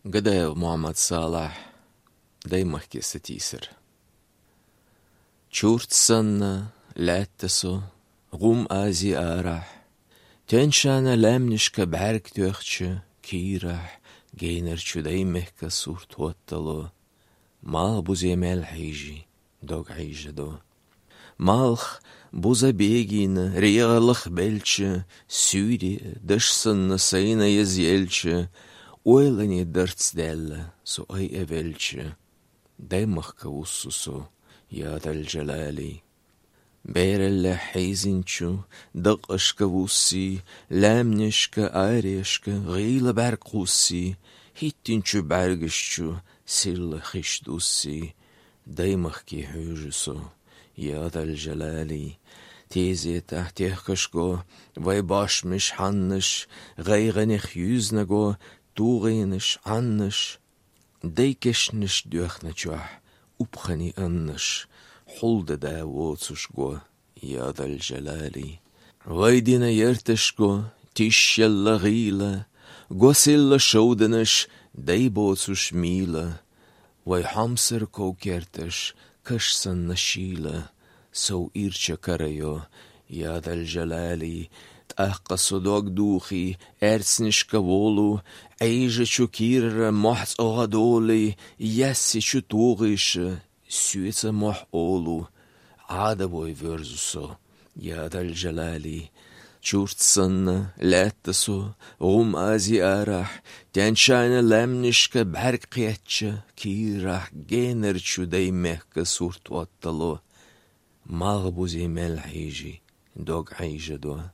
Гадаю, Мухаммад Салах, дай махки сатисер. Чурт санна, ләттасо, ғум ази арах. Теншана ләмнишка бәрк төөхчі, кирах, гейнер чудай мехка сурт уаттало. Мал буземел хайжи, дог хайжадо. Малх буза бегина, регалых бельчі, сюри, дышсанна сайна язелчі, ойлани дырцделла, су ай эвелчі. Дай махка уссусу, яд аль-джалали. Бейрелле хайзинчу, дық ышка вусси, ләмнешка айрешка, ғила бәрқусси, хиттинчу бәргішчу, сирлы хиштусси. Дай махки хүйжусу, яд аль-джалали. Тези тахтехкашко, вай башмиш ханныш, ғайғанех юзнаго, туғайныш анныш. Дай кешніш дөхначуах, упхани анныш. Hulda da wotsushgo, yad al-jalali. Vaidina yerteshgo, tishella ghila, gosilla shoudanish, dai botsush mila. Vai hamser kokertish, kashsan nashila, so ircha karayo, yad al-jalali. T'aqqa dog duchi, erznish kavolu, eija chukira mohts ogadoli, yassi chutugish. Süetse moh olu, adaboi versuso, yad al-jalali. Churtsanna, lättaso, azi arah, tenshana lemnishka bärqiyatcha, kirah generchu day mehka surt wattalo. Maghbuzi melhiji, dog aijado.